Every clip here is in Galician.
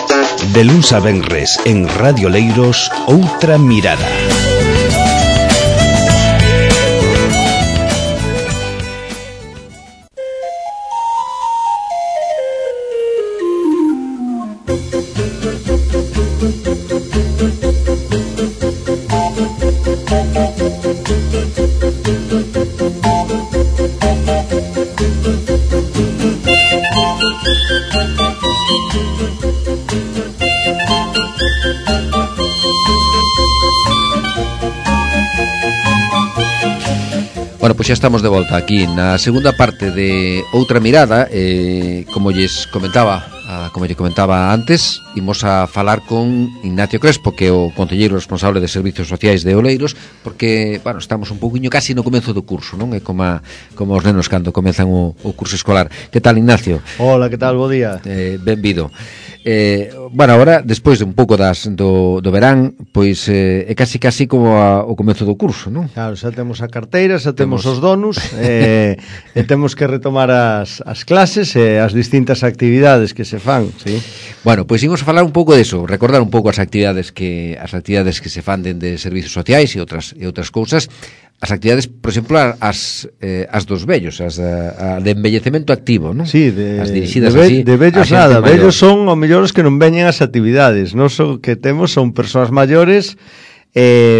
De luns a venres en Radio Leiros, Outra Mirada. Bueno, pois xa estamos de volta aquí na segunda parte de Outra Mirada. Como lle comentaba antes, imos a falar con Ignacio Crespo, que é o concelleiro responsable de Servicios Sociais de Oleiros, porque, bueno, estamos un pouquiño casi no comezo do curso, non? É como os nenos cando comezan o curso escolar. Que tal, Ignacio? Hola, que tal? Bo día. Benvido. Bueno, agora, despois de un pouco do verán, pois é casi como o comezo do curso, non? Claro, xa temos a carteira, xa temos os donos, e temos que retomar as clases e as distintas actividades que se fan, sí? Bueno, pois imos a falar un pouco deso, recordar un pouco as actividades que se fan dende servicios sociais e outras cousas. As actividades, por exemplo, as dos vellos, as de envellecemento activo, non? Sí, as dirixidas así. De vellos nada, vellos son o mellores que non veñen as actividades. Nós o que temos son persoas maiores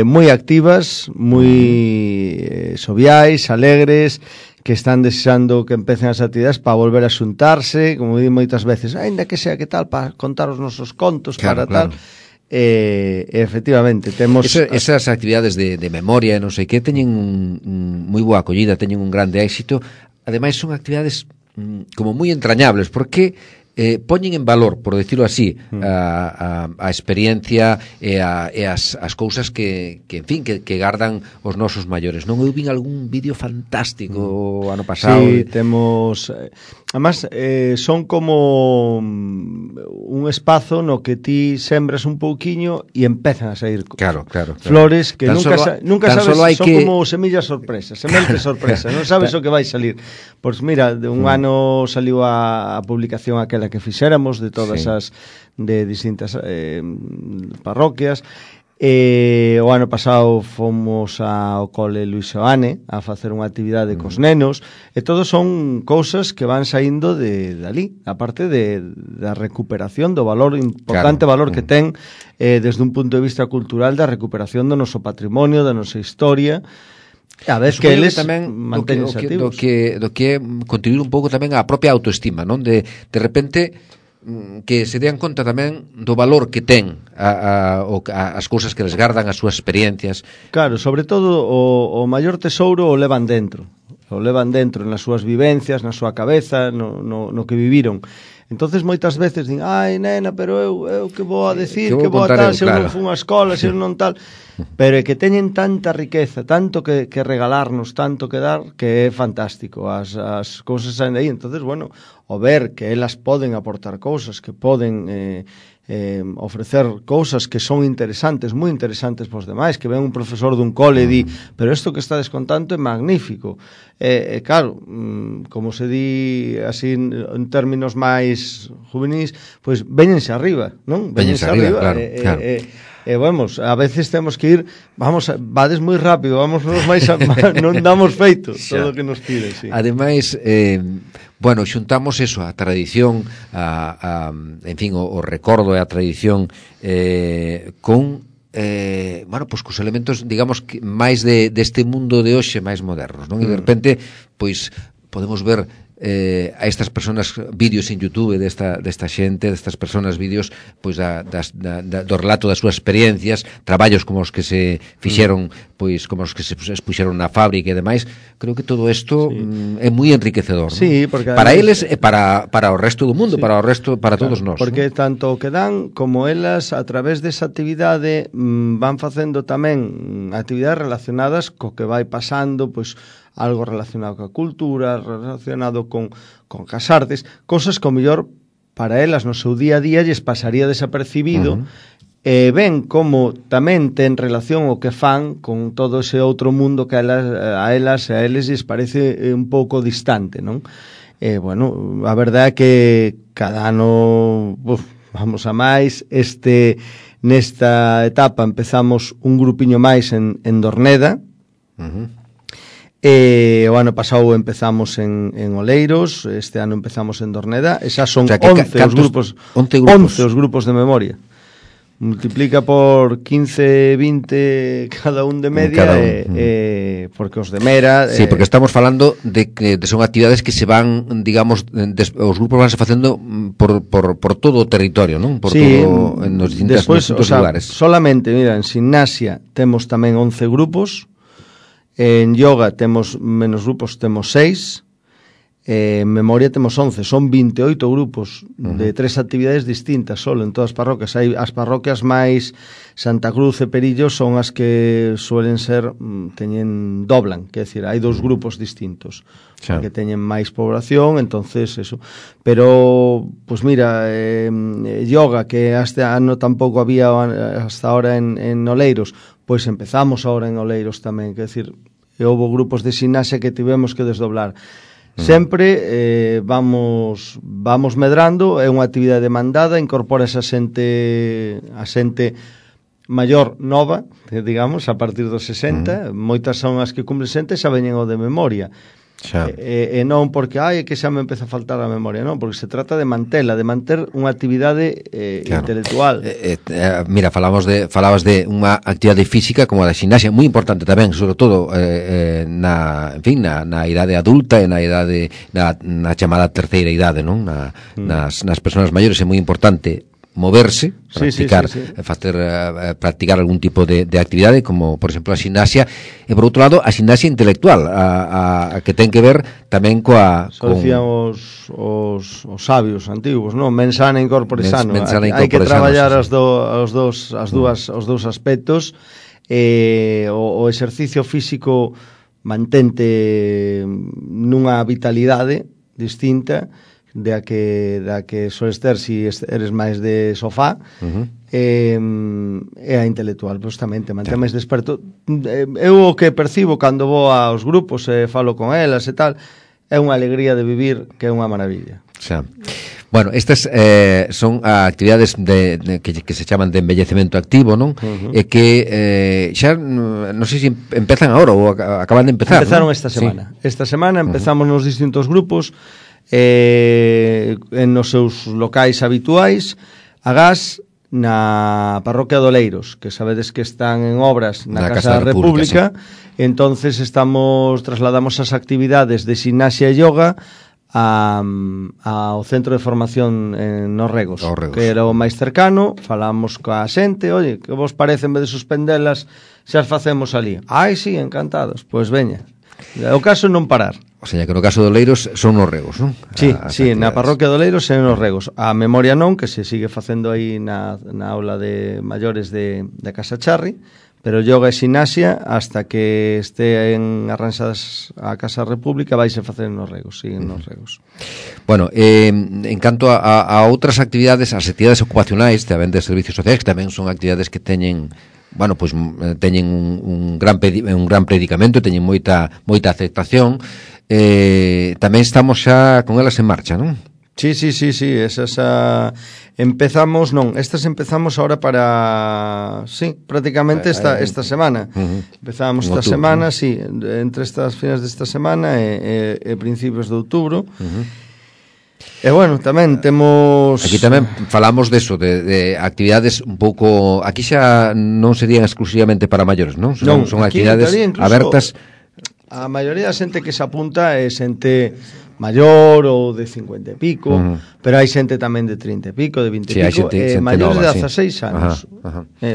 moi activas, moi soviais, alegres, que están desexando que empecen as actividades para volver a xuntarse, como di moitas veces, aínda que sea que tal, para contar os nosos contos, claro, para tal. Efectivamente temos esas actividades de memoria e non sei que teñen moi boa acollida, teñen un grande éxito. Ademais son actividades como moi entrañables, porque poñen en valor, por decirlo así, a experiencia e as cousas que en fin, que gardan os nosos maiores, non? Eu vin algún vídeo fantástico o ano pasado. Sí, temos... Además, son como un espazo no que ti sembras un pouquiño e empezan a sair flores que nunca sabes, son como semillas sorpresas, sementes sorpresas, non sabes o que vai salir. Pois mira, de un ano saliu a publicación aquela que fixéramos de todas as de distintas parroquias. O ano pasado fomos ao cole Luis Seoane a facer unha actividade cos nenos, e todos son cousas que van saindo de ali, a parte da recuperación do valor, importante valor que ten desde un punto de vista cultural, da recuperación do noso patrimonio, da nosa historia. A vez que eles tamén mantéñense activos. Do que contribuir un pouco tamén á propia autoestima, non? De repente que se dean conta tamén do valor que ten as cousas que les gardan, as súas experiencias. Claro, sobre todo o maior tesouro o levan dentro nas súas vivencias, na súa cabeza, no que viviron. Entonces moitas veces din, ai nena, pero eu que vou a decir, que vou a tal, se eu non fun a escola, se eu non tal. Pero é que teñen tanta riqueza, tanto que regalarnos, tanto que dar, que é fantástico. As cousas saen de aí. Entonces, bueno, o ver que elas poden aportar cousas, que poden ofrecer cousas que son interesantes, moi interesantes pos demais, que ven un profesor dun cole e di, pero isto que estades contando é magnífico. Claro, como se di así en términos máis juvenis, pois veñense arriba, non? Veñense arriba, claro. Vamos, a veces temos que ir, vades moi rápido, vámonos máis non damos feito todo o que nos pide, sí. Ademais, bueno, xuntamos eso, a tradición, en fin, o recordo e a tradición con bueno, pois cos elementos, digamos, máis deste mundo de hoxe máis modernos, non? E de repente, pois podemos ver a estas personas vídeos en YouTube desta xente, destas personas vídeos pois do relato das súas experiencias, traballos como os que se fixeron, pois como os que se expuxeron na fábrica e demais. Creo que todo isto é moi enriquecedor, sí, ¿no? Porque para eles e para o resto do mundo, sí, para todos nós. Porque ¿no? Tanto o que dan como elas a través desa actividade van facendo tamén actividades relacionadas co que vai pasando, pois algo relacionado coa cultura, relacionado con casartes, cosas que o mellor para elas no seu día a día lles pasaría desapercibido, ven como tamén ten relación o que fan con todo ese outro mundo que a eles lles parece un pouco distante, non? Bueno, a verdade é que cada ano vamos a máis. Nesta etapa empezamos un grupiño máis en Dorneda. O ano pasado empezamos en Oleiros, este ano empezamos en Dorneda. Esas son 11 os grupos de memoria. Multiplica por 15, 20 cada un de media, porque os de Mera... Sí, porque estamos falando de que son actividades que se van, digamos, os grupos van se facendo por todo o territorio, non? Por todo, en os distintos lugares. Solamente, mira, en gimnasia temos tamén 11 grupos, en yoga temos menos grupos, temos 6, en memoria temos 11, son 28 grupos de 3 actividades distintas solo en todas as parroquias. Hai as parroquias máis Santa Cruz e Perillo son as que suelen ser doblan, quer decir, hai 2 grupos distintos que teñen máis población, entonces eso. Pero pues mira, yoga que este ano tampouco había hasta ahora en Oleiros, pois empezamos ahora en Oleiros tamén, quer decir, houve grupos de gimnasia que tivemos que desdoblar. Sempre vamos medrando, é unha actividade demandada, incorpora esa xente maior nova, digamos, a partir dos 60, moitas son as que cumplen 60 e xa veñen o de memoria. E non porque que xa me empeza a faltar a memoria, non, porque se trata de manter unha actividade intelectual. Mira, falabas de unha actividade física como a da gimnasia, moi importante tamén, sobre todo na idade adulta e na idade na chamada terceira idade, non? Nas persoas maiores é moi importante moverse, practicar algún tipo de actividade, como por exemplo a gimnasia, e por outro lado a gimnasia intelectual, a que ten que ver tamén decían os sabios antigos, non? Mens sana in corpore sano. Hai que traballar os dous aspectos. O exercicio físico mantente nunha vitalidade distinta da que soles ter si eres máis de sofá, e a intelectual justamente mantén máis desperto. Eu o que percibo cando vou aos grupos e falo con elas e tal, é unha alegría de vivir que é unha maravilla. Bueno, estas son actividades que se chaman de embellecemento activo, non? E que xa non sei se empezan agora ou acaban de empezar. Empezaron esta semana. Esta semana empezamos nos distintos grupos en os seus locais habituais. Agás na parroquia de Oleiros, que sabedes que están en obras na Casa da República, entonces trasladamos as actividades de gimnasia e yoga ao centro de formación en Norregos, que era o máis cercano. Falamos coa xente, oye, que vos parece en vez de suspendelas xa as facemos ali? Sí, encantados, pois veña. O caso é non parar. O sea, que no caso de Oleiros son nos regos, non? Sí, na parroquia de Oleiros é nos regos. A memoria non, que se sigue facendo aí na aula de maiores de Casa Charri, pero yoga e gimnasia hasta que esteen arranxadas a Casa República vaise facer nos regos, siguen nos regos. Bueno, en canto a outras actividades, as actividades ocupacionais tamén de servicios sociais, que tamén son actividades que teñen teñen un gran predicamento, teñen moita aceptación. Tamén estamos xa con elas en marcha, non? Sí, esas empezamos ahora prácticamente esta semana. Empezamos esta semana, entre estas fines desta semana e principios de outubro. E bueno, tamén temos... Aquí tamén falamos deso, de actividades un pouco... Aquí xa non serían exclusivamente para maiores, non? Son actividades abertas... A maioría da xente que se apunta é xente maior ou de 50 e pico, pero hai xente tamén de 30 e pico, de 20 e pico, maiores de 16 anos.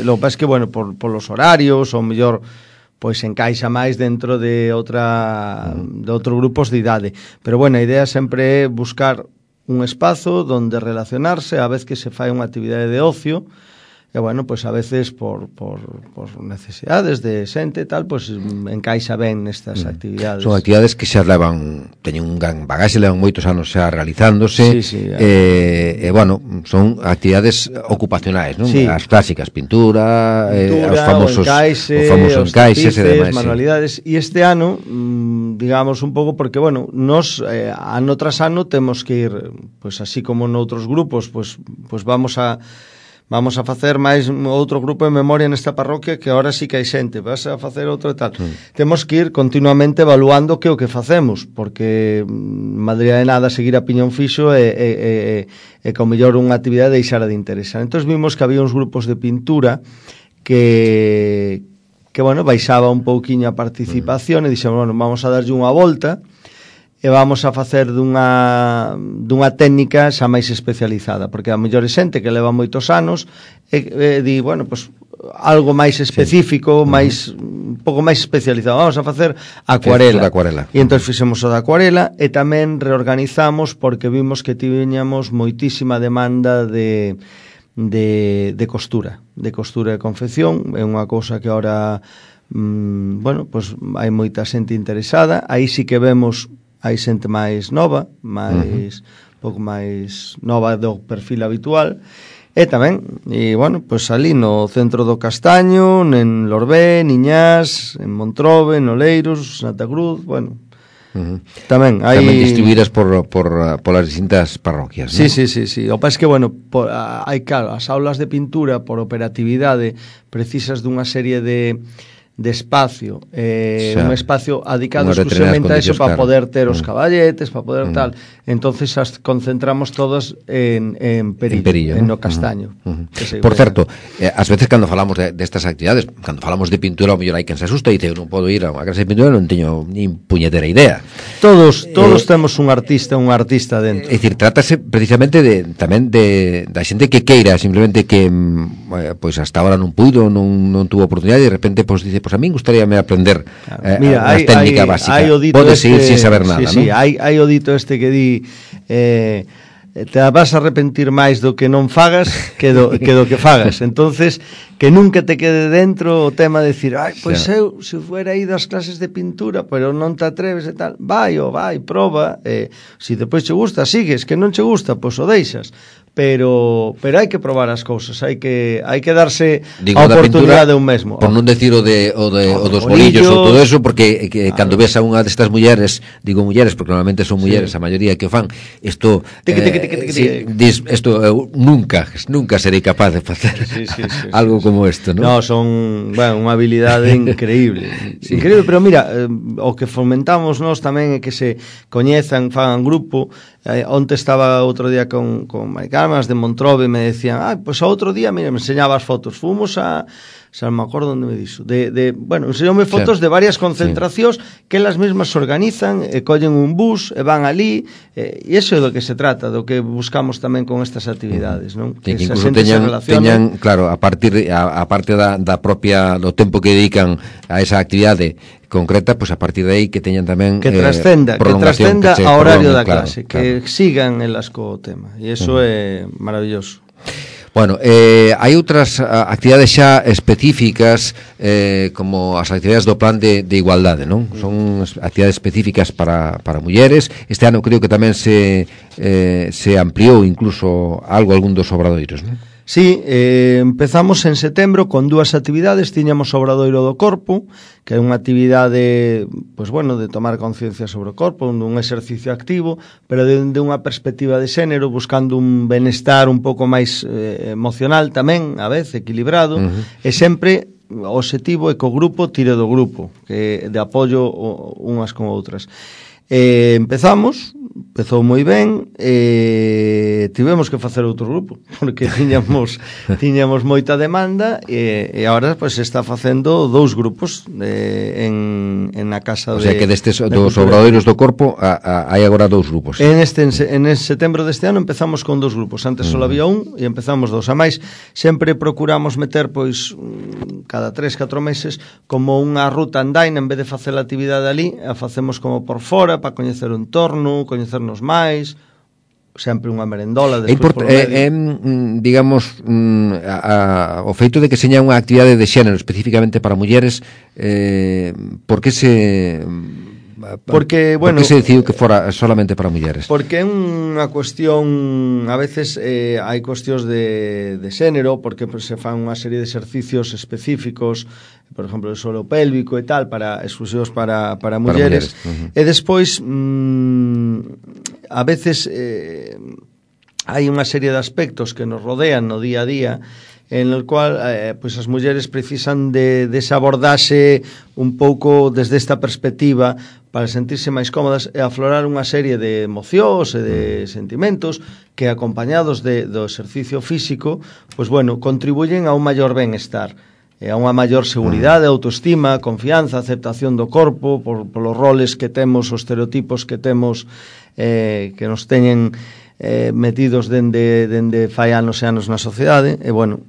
Lo que pasa é que, bueno, por los horarios, ou mellor, pois encaixa máis dentro de outros grupos de idade. Pero, bueno, a idea sempre é buscar un espazo donde relacionarse, a vez que se fai unha actividade de ocio, e bueno, pois a veces por necesidades de xente e tal, pois encaixa ben nestas actividades. Son actividades que xa teñen un gran bagaxe, levan moitos anos xa realizándose, e bueno, son actividades ocupacionais, non? Sí. As clásicas, pintura, os famosos encaixes e demais, manualidades, e este ano, digamos un pouco, porque bueno, nos ano tras ano temos que ir, pois así como noutros grupos, pois vamos a facer máis outro grupo de memoria nesta parroquia, que ahora sí que hai xente, vas a facer outro e tal. Temos que ir continuamente evaluando que o que facemos, porque madría de nada seguir a piñón fixo e que ao mellor unha actividade deixara de interesar. Entón vimos que había uns grupos de pintura que bueno, baixaba un pouquiño a participación, e dixemos, bueno, vamos a darlle unha volta e vamos a facer dunha técnica xa máis especializada, porque a mellor é xente que leva moitos anos e di, bueno, pues algo máis específico, máis un pouco máis especializado. Vamos a facer acuarela. E entón fixemos o da acuarela, e tamén reorganizamos porque vimos que tiñamos moitísima demanda de costura e confección. É unha cousa que ahora bueno, pues hai moita xente interesada. Aí sí que vemos hai xente máis nova, pouco máis nova do perfil habitual, e tamén, e bueno, pois ali no centro do Castaño, en Lorbé, Niñás, en Montrobe, en Oleiros, Santa Cruz, bueno, tamén hai distribuídas por as distintas parroquias, ¿no? Sí. O país que, bueno, hai, claro, as aulas de pintura por operatividade precisas dunha serie de espacio, un espacio adicado exclusivamente a eso, para poder ter os caballetes, para poder tal. Entonces as concentramos todas en Perillo, en no Castaño. Por certo, ás veces cando falamos destas actividades, cando falamos de pintura, ao mellor hai quen se asusta e dice, eu non podo ir a unha clase de pintura, non teño nin puñetera idea. Todos temos un artista dentro. É dicir, trátase precisamente tamén da xente que queira, simplemente que pois hasta ahora non puido, non tuvo oportunidade, e de repente pois dice, pois a min gustaríame aprender a técnica básica. Podes seguir sin saber nada, sí, ¿no? Hai o dito este que di te vas a arrepentir máis do que non fagas que do que fagas. Entonces, que nunca te quede dentro o tema de decir, pois eu, se fuera ido ás clases de pintura, pero non te atreves e tal, vai, proba, se depois che gusta, sigues, que non che gusta, pois o deixas. Pero hai que probar as cousas, hai que darse a oportunidade de un mesmo. Por non decir o dos bolillos ou todo eso, porque cando ves a unha destas mulleres, digo mulleres porque normalmente son mulleres a maioría que o fan, isto eu nunca serei capaz de facer algo como isto, non? No, son, bueno, unha habilidade increíble. Increíble, pero mira, o que fomentamos nós tamén é que se coñezan, fagan grupo. Onte estaba outro día con Maricarmas de Montrobe, me decían, pois a outro día, mira, me enseñaba as fotos, fomos a, xa non me acordo onde me dixo, bueno, enseñoume fotos de varias concentracións que elas mesmas se organizan, collen un bus e van ali, e iso é do que se trata, do que buscamos tamén con estas actividades, non? Que incluso teñan, claro, a parte da propia, do tempo que dedican a esa actividade concreta, pois a partir de aí que teñan tamén que trascenda a horario da clase, que sigan elas co tema, e iso é maravilloso. Bueno, hai outras actividades xa específicas, como as actividades do plan de igualdade, non? Son actividades específicas para mulleres. Este ano creo que tamén se ampliou incluso algún dos obradoiros, non? Sí, empezamos en setembro con 2 actividades. Tiñamos o Obradoiro do Corpo, que é unha actividade, pois bueno, de tomar conciencia sobre o corpo, un exercicio activo, pero de unha perspectiva de xénero, buscando un benestar un pouco máis emocional tamén, a vez, equilibrado, e sempre o objetivo é que o grupo tire do grupo, que de apoio unhas con outras. Empezou moi ben, tivemos que facer outro grupo porque tiñamos moita demanda, e agora pois se está facendo 2 grupos en a casa de... O sea que destes dos obradoiros do corpo hai agora 2 grupos. En setembro deste ano empezamos con 2 grupos. Antes só había un e empezamos 2. A máis, sempre procuramos meter pois cada 3-4 meses como unha ruta andaina, en vez de facer a actividade ali, a facemos como por fora, para coñecer o entorno, coñecernos máis. sempre unha merendola despois polo medio. Digamos, o feito de que seña unha actividade de xénero especificamente para mulleres, por que se... Porque, bueno, ¿por que se decidiu que fora solamente para mulleres? Porque é unha cuestión, a veces hai cuestións de xénero, porque se fan unha serie de exercicios específicos, por exemplo, o suelo pélvico e tal, exclusivos para mulleres. E despois, a veces hai unha serie de aspectos que nos rodean no día a día, en el cual pues as mulleres precisan de esa abordaxe un pouco desde esta perspectiva para sentirse máis cómodas e aflorar unha serie de emocións e de sentimentos que, acompañados do exercicio físico, pues bueno, contribuyen a un maior benestar, a unha maior seguridade, autoestima, confianza, aceptación do corpo, polos roles que temos, os estereotipos que temos, que nos teñen metidos dende fai anos e anos na sociedade. E bueno,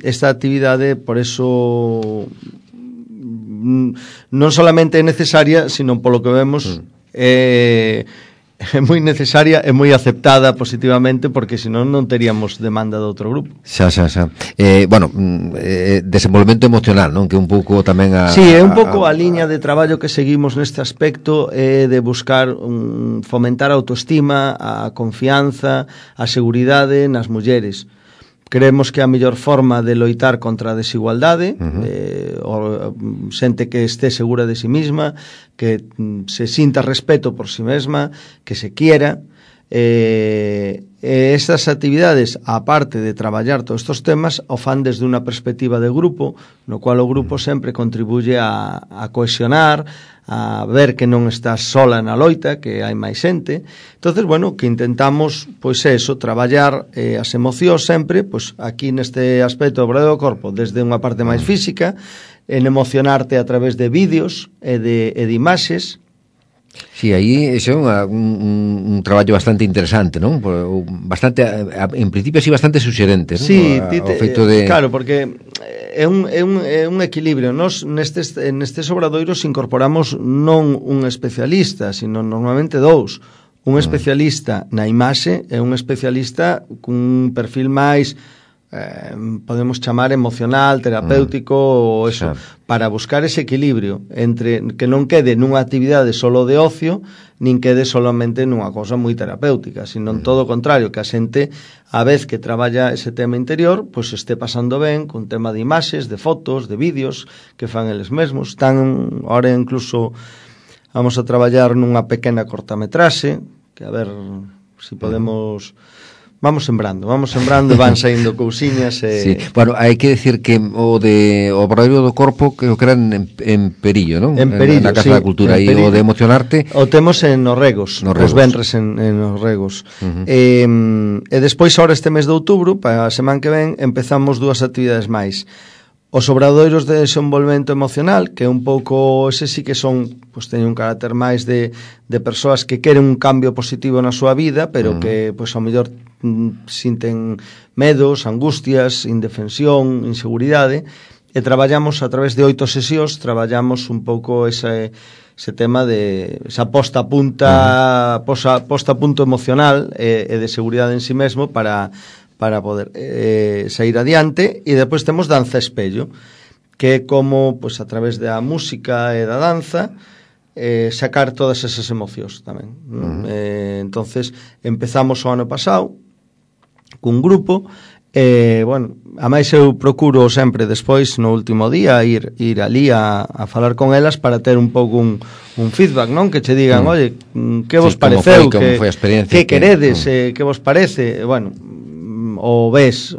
esta actividade, por eso, non solamente é necesaria, sino polo que vemos é moi necesaria e moi aceptada positivamente, porque senón non teríamos demanda de outro grupo. Xa. Bueno, desenvolvemento emocional, non? Que un pouco tamén Sí, é un pouco a liña de traballo que seguimos neste aspecto, de buscar fomentar a autoestima, a confianza, a seguridade nas mulleres. Creemos que a mellor forma de loitar contra a desigualdade, xente que este segura de si mesma, que se sinta respeto por si mesma, que se quiera. Estas actividades, aparte de traballar todos estos temas, o fan desde unha perspectiva de grupo, no cual o grupo sempre contribuye a cohesionar, a ver que non estás sola na loita, que hai máis xente. Entonces, bueno, que intentamos, pois eso, traballar as emocións sempre, pois aquí neste aspecto do corpo, desde unha parte máis física, en emocionarte a través de vídeos e de imaxes. Sí, aí é un traballo bastante interesante, non? Bastante, en principio, así bastante suxerente, non? Sí, claro, porque é un equilibrio. Nos nestes obradoiros incorporamos non un especialista, sino normalmente dous. Un especialista na imaxe e un especialista cun perfil máis podemos chamar emocional, terapéutico ou eso, para buscar ese equilibrio entre que non quede nunha actividade solo de ocio, nin quede solamente nunha cosa moi terapéutica, sino todo o contrario, que a xente, a vez que traballa ese tema interior, pois esté pasando ben con tema de imaxes, de fotos, de vídeos que fan eles mesmos. Están, ahora incluso vamos a traballar nunha pequena cortametraxe, que a ver se podemos... Vamos sembrando, van saindo cousiñas Sí, bueno, hai que decir que o obradoiro do corpo creo que era en Perillo, non? En Perillo, na Casa da Cultura, e o de emocionarte o temos en Orregos, os venres en Orregos. E despois, ahora este mes de outubro, para a semana que ven, empezamos dúas actividades máis. Os obradoiros de desenvolvemento emocional, que un pouco, ese sí que son, pois teñen un carácter máis de persoas que queren un cambio positivo na súa vida, pero que, pois, ao mellor sinten medos, angustias, indefensión, inseguridade, e traballamos a través de 8 sesións, traballamos un pouco ese tema de esa posta a punto emocional e de seguridade en si mesmo para poder sair adiante. E depois temos danza espello, que é como, pois, a través da música e da danza, sacar todas esas emocións tamén. Entonces empezamos o ano pasado cun grupo, bueno, a máis eu procuro sempre despois, no último día, ir ali a falar con elas para ter un pouco un feedback, non? Que che digan, oye, que vos pareceu, que queredes, que vos parece. Bueno, o ves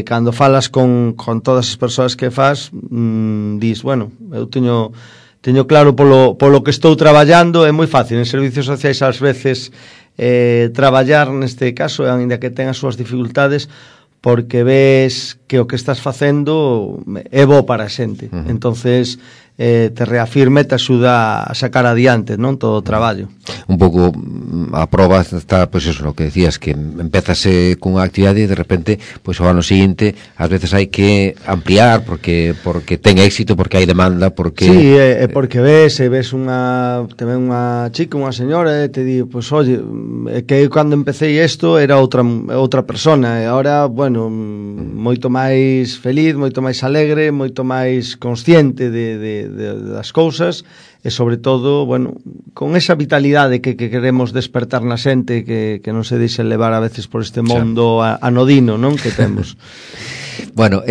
cando falas con todas as persoas que fas, dis, bueno, eu teño claro polo que estou traballando. É moi fácil en servicios sociais ás veces traballar neste caso, aínda que ten as súas dificultades, porque ves que o que estás facendo é bo para a xente. Entonces te reafirma e te axuda a sacar adiante, non, todo o traballo. Un pouco a proba está, pois eso, no que decías, que empezase cunha actividade e de repente, pois ao ano seguinte ás veces hai que ampliar porque ten éxito, porque hai demanda, porque... Sí, porque ves tamén unha chica, unha señora, e te di, pois oye, que cando empecé isto era outra persona, e agora, bueno, moito máis feliz, moito máis alegre, moito máis consciente das cousas, e sobre todo, bueno, con esa vitalidade que queremos despertar na xente, que non se deixe levar a veces por este mundo anodino, non, que temos. Bueno,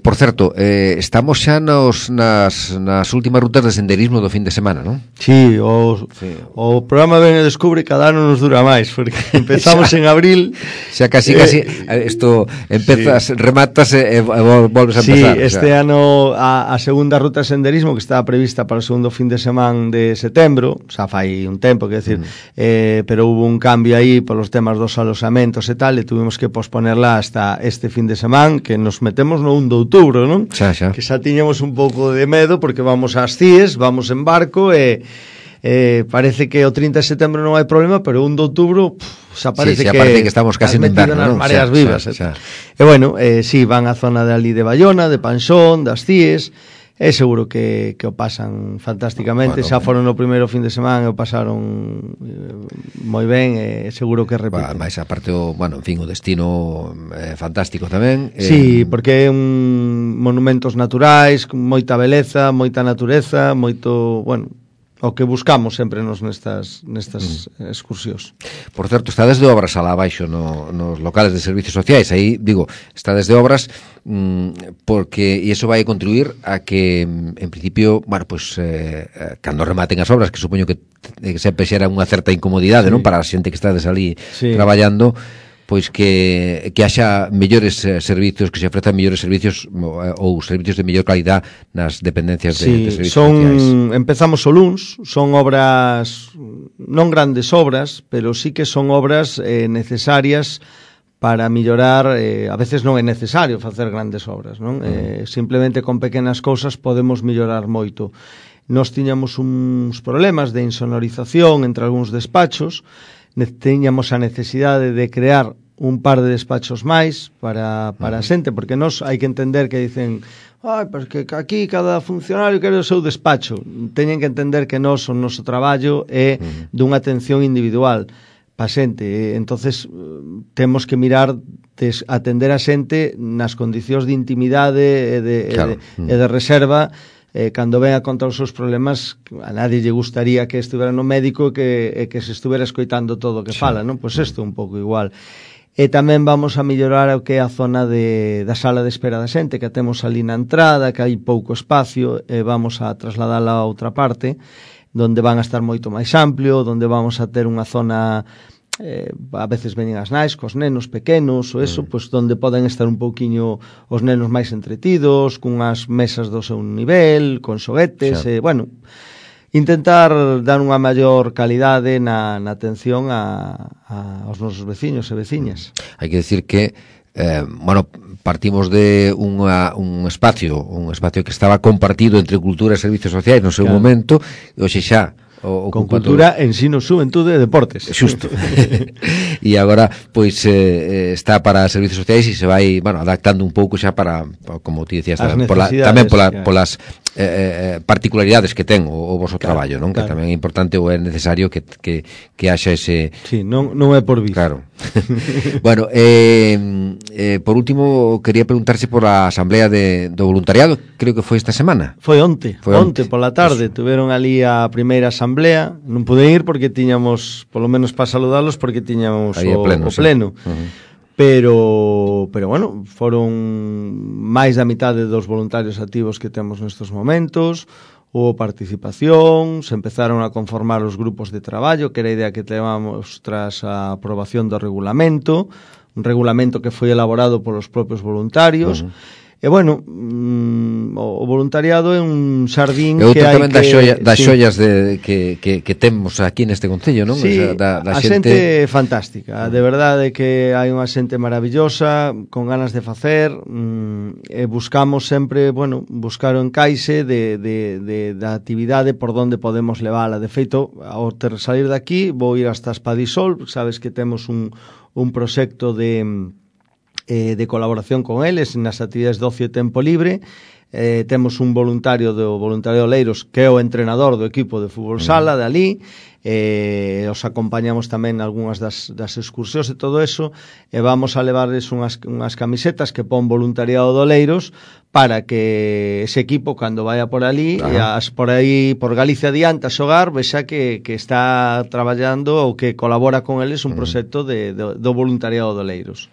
por certo, estamos xa nas últimas rutas de senderismo do fin de semana, non? Sí, o programa Ven e Descubre cada ano nos dura máis, porque empezamos en abril. Xa casi, isto empezas, rematas e volves a empezar. Sí, este ano a segunda ruta de senderismo, que estaba prevista para o segundo fin de semana de setembro, xa fai un tempo, que decir, pero hubo un cambio aí polos temas dos alosamentos e tal, e tuvimos que posponerla hasta este fin de semana, que nos metemos no 1 de outubro, non? Xa. Que xa tiñamos un pouco de medo porque vamos ás Cíes, vamos en barco e parece que o 30 de setembro non hai problema, pero o 1 de outubro xa parece que estamos casi en inverno, nas mareas vivas. Xa. E bueno, sí, van á zona de ali de Bayona, de Panxón, das Cíes. É seguro que o pasan fantásticamente, xa foron no primeiro fin de semana e o pasaron moi ben, e seguro que repiten. Mais aparte, en fin, o destino fantástico tamén. Sí, porque é monumentos naturais, con moita beleza, moita natureza, moito, bueno, o que buscamos sempre nestas excursións. Por certo, está desde obras alá abaixo nos locales de servicios sociais. Aí, digo, está desde obras porque e iso vai contribuir a que, en principio, cando rematen as obras, que supoño que sempre xera unha certa incomodidade, non, para a xente que está ali traballando, pois que haxa mellores servicios, que se ofrezan mellores servicios ou servicios de mellor calidad nas dependencias de servicios sociais. Empezamos o luns, son obras, non grandes obras, pero sí que son obras necesarias para millorar, a veces non é necesario facer grandes obras, non? Simplemente con pequenas cousas podemos millorar moito. Nós tiñamos uns problemas de insonorización entre algúns despachos, teñamos a necesidade de crear un par de despachos máis para a xente, porque nós hai que entender que dicen, porque aquí cada funcionario quere o seu despacho. Teñen que entender que nós, o noso traballo é dunha atención individual pa xente, entonces temos que mirar de atender a xente nas condicións de intimidade e de reserva. Cando ven a contar os seus problemas, a nadie lle gustaría que estivera no médico e que se estuvera escoitando todo o que fala, non? Pois isto é un pouco igual. E tamén vamos a mellorar o que é a zona da sala de espera da xente, que temos ali na entrada, que hai pouco espacio, e vamos a trasladala a outra parte, donde van a estar moito máis amplio, donde vamos a ter unha zona, a veces veñen as nais cos nenos pequenos, ou eso, pois donde poden estar un pouquiño os nenos máis entretidos, cunhas mesas do seu nivel, con xoguetes, bueno, intentar dar unha maior calidade na atención aos nosos veciños e veciñas. Hai que decir que partimos de un espacio que estaba compartido entre cultura e servicios sociais no seu momento, e hoxe xa con cultura, ensino, xuventude e deportes. Xusto. E agora, pois, está para servicios sociais e se vai, adaptando un pouco xa para, como ti decías, tamén polas particularidades que ten o vosso traballo, non? Que tamén é importante ou é necesario que haxa ese... Sí, non é por vir. Claro. Bueno, por último, quería preguntarse por a asamblea do voluntariado, creo que foi esta semana. Foi onte pola tarde, tuveron ali a primeira asamblea, non pude ir porque tiñamos, polo menos para saludarlos, porque tiñamos o pleno. Pero bueno, foron máis da mitade dos voluntarios activos que temos nestes momentos, houve participación, se empezaron a conformar os grupos de traballo, que era a idea que levamos tras a aprobación do regulamento, un regulamento que foi elaborado polos propios voluntarios, E bueno, o voluntariado é un xardín que hai tamén que... das xollas que temos aquí neste concello, non? Sí, o sea, a xente fantástica, de verdade que hai unha xente maravillosa, con ganas de facer, e buscamos sempre, bueno, buscar o encaixe da actividade por onde podemos levála. De feito, ao salir de aquí, vou ir hasta Espadisol, sabes que temos un proxecto de colaboración con eles nas actividades de ocio e tempo libre. Temos un voluntario do Voluntariado Oleiros que é o entrenador do equipo de fútbol sala de ali, os acompañamos tamén algunhas das excursións e todo eso, e vamos a levarles unhas camisetas que pon Voluntariado de Oleiros para que ese equipo, cando vaya por ali, por aí, por Galicia adiante a xogar, vexa que está traballando ou que colabora con eles un proxecto do Voluntariado de Oleiros.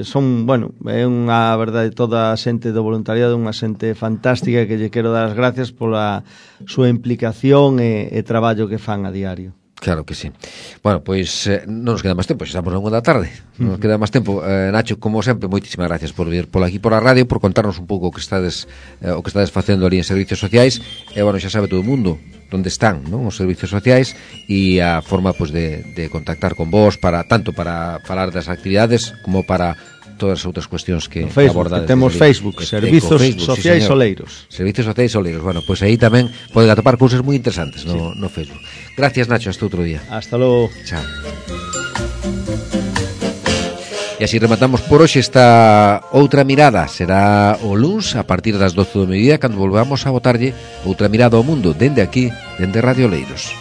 Son, bueno, é unha verdade, toda a xente do voluntariado, unha xente fantástica que lle quero dar as gracias pola súa implicación e traballo que fan a diario. Claro que sí. Bueno, pois non nos queda máis tempo, xa estamos na 1 da tarde. Non nos queda máis tempo. Nacho, como sempre, moitísimas gracias por vir por aquí por a radio, por contarnos un pouco o que estades facendo ali en servicios sociais. E, bueno, xa sabe todo o mundo onde están, non, os servicios sociais e a forma, pois, de contactar con vos tanto para falar das actividades como para todas as outras cuestións que abordades. Temos Facebook, Servizos Sociais Oleiros. Servizos Sociais Oleiros. Bueno, pois aí tamén poden atopar cousas moi interesantes no Facebook. Gracias, Nacho, hasta outro día. Hasta logo. Chao. E así rematamos por hoxe esta outra mirada. Será o luns a partir das 12 do mediodía cando volvamos a botarlle outra mirada ao mundo dende aquí, dende Radio Oleiros.